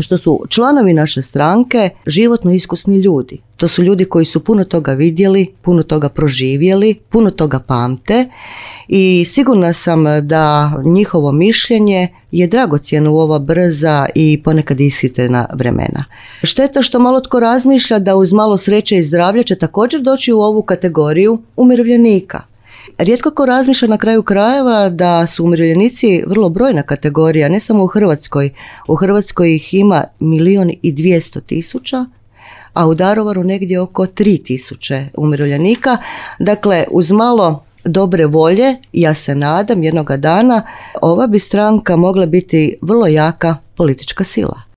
što su članovi naše stranke životno iskusni ljudi. To su ljudi koji su puno toga vidjeli, puno toga proživjeli, puno toga pamte i sigurna sam da njihovo mišljenje je dragocjeno u ova brza i ponekad ishitrena vremena. Šteta što malo tko razmišlja da uz malo sreće i zdravlja će također doći u ovu kategoriju umirovljenika. Rijetko ko razmišlja na kraju krajeva da su umirovljenici vrlo brojna kategorija, ne samo u Hrvatskoj. U Hrvatskoj ih ima 1.200.000, a u Daruvaru negdje oko 3.000 umirovljenika. Dakle, uz malo dobre volje, ja se nadam jednoga dana, ova bi stranka mogla biti vrlo jaka politička sila.